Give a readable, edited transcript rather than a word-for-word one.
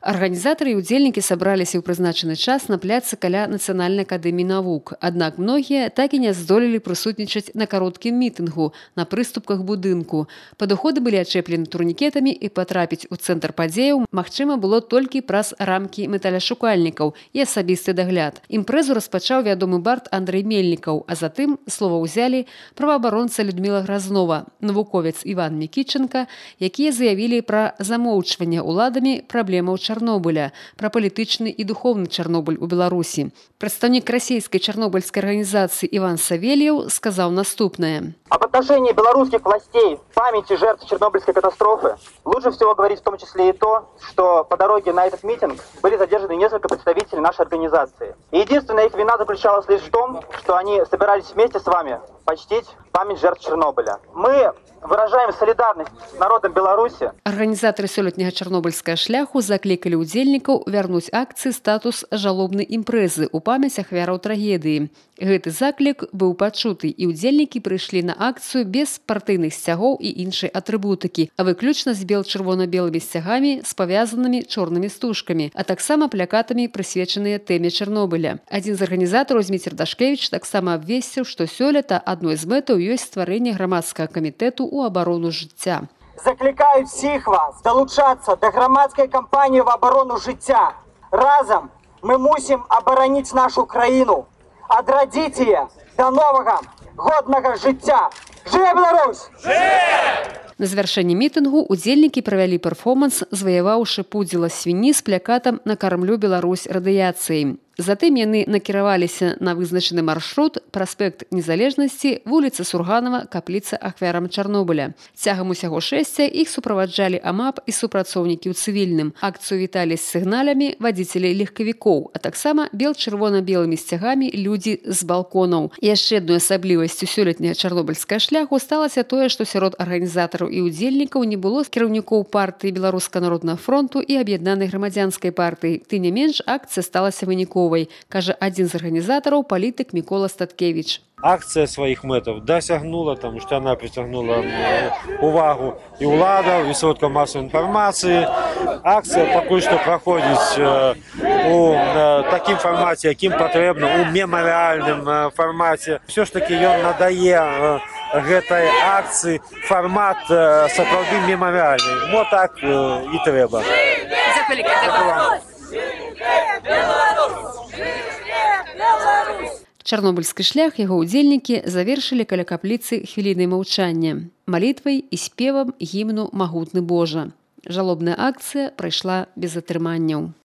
Арганізатары і ўдзельнікі сабраліся ў прызначаны час на пляцы каля Нацыянальнай акадэміі навук. Аднак многія так і не здолелі прысутнічаць на кароткім мітынгу на прыступках будынку. Падыходы былі ачэплены турнікетамі і патрапіць у цэнтр падзеяў магчыма было толькі праз рамкі металяшукальнікаў і асабісты дагляд. Імпрэзу распачаў вядомы бард Андрэй Мельнікаў, а затым слова ўзялі праваабаронца Людміла Гразнова, навуковец Іван Мікіченка, якія заявілі пра замоўчванне ўладамі праблемаў Чарнобыля, пра палітычны і духовны Чарнобыль у Беларусі. Прадстаўнік расійскай чарнобыльскай арганізацыі Іван Савельев сказаў наступнае. Об отношении белорусских властей к памяти жертв Чернобыльской катастрофы лучше всего говорить в том числе и то, что по дороге на этот митинг были задержаны несколько представителей нашей организации. И единственная их вина заключалась лишь в том, что они собирались вместе с вами почтить память жертв Чернобыля. Мы выражаем солидарность с народом Беларуси. Арганізатары сёлетняга чарнобыльскага шляху заклікалі ўдзельнікаў вярнуць акцыі статус жалобнай імпрэзы ў памяць ахвяраў трагедыі. Гэты заклік быў пачуты, і ўдзельнікі прыйшлі на акцыю без партыйных сцягоў і іншай атрыбутыкі, а выключна з бел-чырвона-белымі сцягамі з павязанымі чорнымі стужкамі, а таксама плакатамі, прысвечаныя тэме Чарнобыля. Адзін з арганізатараў Зміцер Дашкевіч таксама абвесціў, што сёлета адной з мэтаў ёсць стварэнне грамадскага камітэту ў абарону жыцця. Закликаю всіх вас долучатися до громадської кампанії в оборону життя. Разом ми мусимо оборонити нашу країну, відродити її до нового, годного життя. Живе Беларусь! На завяршэнні мітынгу ўдзельнікі правялі перформанс, заваяваўшы пудзіла свіні з плакатам «Накармлю Беларусь радыяцыяй». Затым яны накіраваліся на вызначаны маршрут праспект Незалежнасці, вуліца Сурганова, капліца ахвярам Чарнобыля. Цягам усяго шэсця іх суправаджалі АМАП і супрацоўнікі ў цывільным. Акцыю віталі з сігналямі вадзіцелей легкавікоў, а таксама бел-чырвона-белымі сцягамі людзі з балконаў. Яшчэ адной асаблівасцю сёлетняга чарнобыльскага шляху сталася тое, што сярод арганізатараў і ўдзельнікаў не было кіраўнікоў партыі Беларускага народнага фронту і аб'яднанай грамадзянскай партыі. Тым не менш, акцыя сталася выніковай, кажа адзін з арганізатараў палітык Мікола Статкевіч. Акція своих мэтаў досягнула, тому что она притягнула увагу і ўладаў, і сродкаў масовой інфармацыі. Акція пакуль што праходзіць у такім фармаце, якім патрэбна, у мемарыяльным фармаце. Все ж таки ён надае гэтай акцыі фармат сапраўды мемарыяльны. Мо так і трэба. Чарнобыльскі шлях яго ўдзельнікі завершылі каля капліцы хвілінай маўчання, малітвай і спевам гімну «Магутны Божа». Жалобная акцыя прайшла без атрыманняў.